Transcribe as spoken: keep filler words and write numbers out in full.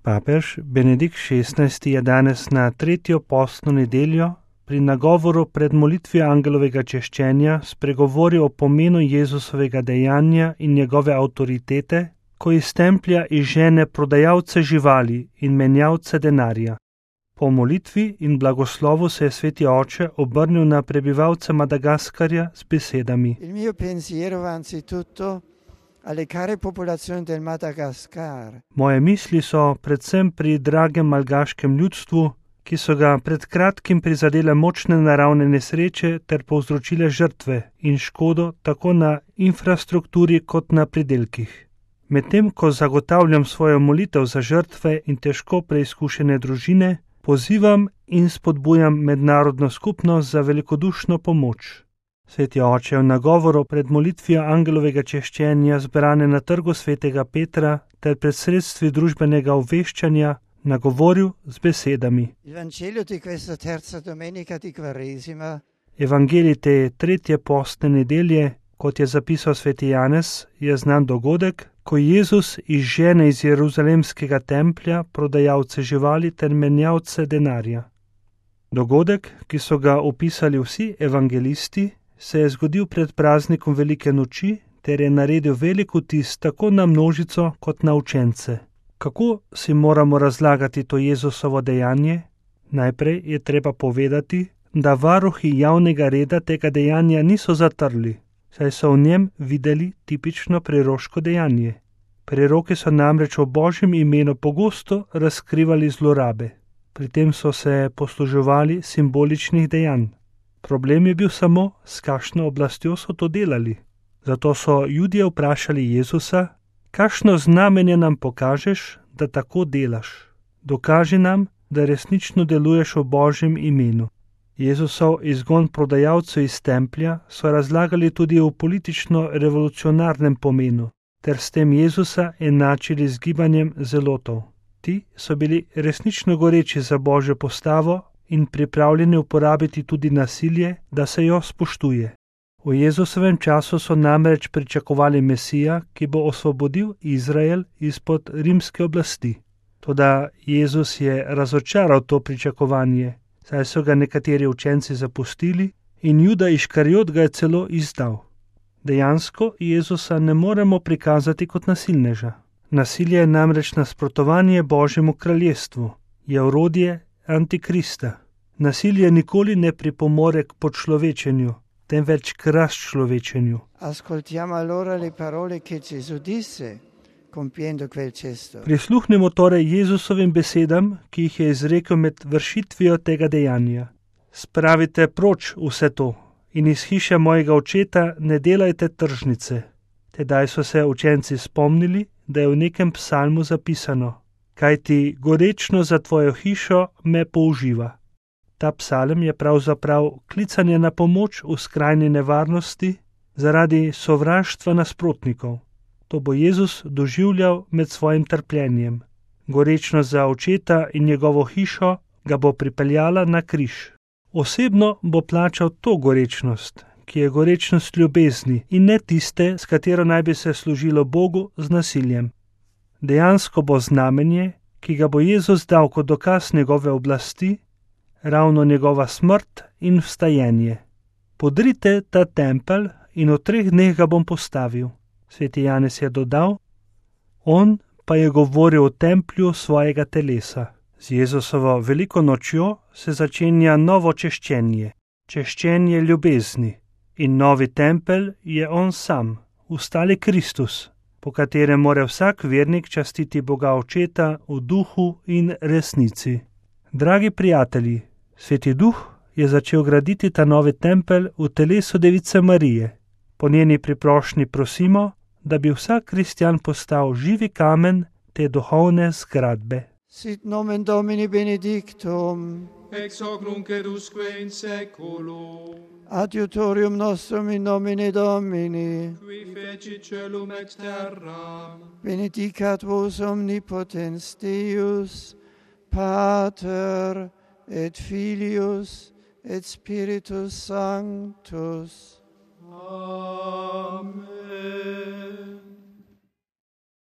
Papež Benedikt šestnajsti je danes na tretjo postno nedeljo pri nagovoru pred molitvijo angelovega češčenja spregovoril o pomenu Jezusovega dejanja in njegove avtoritete, ko iz templja izžene prodajalce živali in menjalce denarja. Po molitvi in blagoslovu se je sveti oče obrnil na prebivalce Madagaskarja s besedami: Il mio pensiero va anzitutto alle care popolazioni del Madagascar. Moje misli so predvsem pri dragem malgaškem ljudstvu, ki so ga pred kratkim prizadele močne naravne nesreče ter povzročile žrtve in škodo tako na infrastrukturi kot na pridelkih. Medtem ko zagotavljam svojo molitev za žrtve in težko preizkušene družine, pozivam in spodbujam mednarodno skupnost za velikodušno pomoč. Sveti oče je v nagovoru pred molitvijo angelovega češčenja zbrane na trgu svetega Petra ter pred sredstvi družbenega obveščanja nagovoril z besedami: Evangelij te tretje postne nedelje, kot je zapisal sveti Janez, je znan dogodek, ko Jezus izžene iz jeruzalemskega templja prodajalce živali ter menjalce denarja. Dogodek, ki so ga opisali vsi evangelisti, se je zgodil pred praznikom Velike noči ter je naredil velik vtis tako na množico kot na učence. Kako si moramo razlagati to Jezusovo dejanje? Najprej je treba povedati, da varuhi javnega reda tega dejanja niso zatrli, saj so v njem videli tipično preroško dejanje. Preroki so namreč v Božjem imenu pogosto razkrivali zlorabe. Pri tem so se posluževali simboličnih dejanj. Problem je bil samo, s kakšno oblastjo so to delali. Zato so Judje vprašali Jezusa: kakšno znamenje nam pokažeš, da tako delaš? Dokaži nam, da resnično deluješ v Božjem imenu. Jezusov izgon prodajalcev iz templja so razlagali tudi v politično-revolucionarnem pomenu, ter s tem Jezusa enačili z gibanjem zelotov. Ti so bili resnično goreči za Božjo postavo in pripravljeni uporabiti tudi nasilje, da se jo spoštuje. V Jezusovem času so namreč pričakovali Mesija, ki bo osvobodil Izrael izpod rimske oblasti. Toda Jezus je razočaral to pričakovanje, saj so ga nekateri učenci zapustili in Juda Iškariot ga je celo izdal. Dejansko Jezusa ne moremo prikazati kot nasilneža. Nasilje je namreč nasprotovanje Božjemu kraljestvu, je orodje Antikrista. Nasilje nikoli ne pripomore k podčlovečenju, temveč k razčlovečenju. Ascoltiamo allora le parole che Gesù disse compiendo quel gesto. Prisluhnimo torej Jezusovim besedam, ki jih je izrekel med vršitvijo tega dejanja. Spravite proč vse to in iz hiše mojega očeta ne delajte tržnice. Tedaj so se učenci spomnili, da je v nekem psalmu zapisano: kajti gorečno za tvojo hišo me použiva. Ta psalm je pravzaprav klicanje na pomoč v skrajni nevarnosti zaradi sovraštva nasprotnikov. To bo Jezus doživljal med svojim trpljenjem. Gorečnost za očeta in njegovo hišo ga bo pripeljala na križ. Osebno bo plačal to gorečnost, ki je gorečnost ljubezni in ne tiste, s katero naj bi se služilo Bogu z nasiljem. Dejansko bo znamenje, ki ga bo Jezus dal kot dokaz njegove oblasti, ravno njegova smrt in vstajenje. Podrite ta tempelj in v treh dneh ga bom postavil. Sveti Janez je dodal: on pa je govoril o templju svojega telesa. Z Jezusovo veliko nočjo se začenja novo češčenje, češčenje ljubezni. In novi tempelj je on sam, ustali Kristus, po katerem mora vsak vernik častiti Boga Očeta v duhu in resnici. Dragi prijatelji, Sveti Duh je začel graditi ta novi tempelj v telesu Device Marije. Po njeni priprošnji prosimo, da bi vsak kristjan postal živi kamen te duhovne zgradbe. Sit nomen Domini benedictum, ex hoc nunc et usque in seculum. adiutorium nostrum in nomine Domini, Qui feci celum ex terram. benedicat vos omnipotens Deus, Pater et Filius et Spiritus Sanctus. Amen.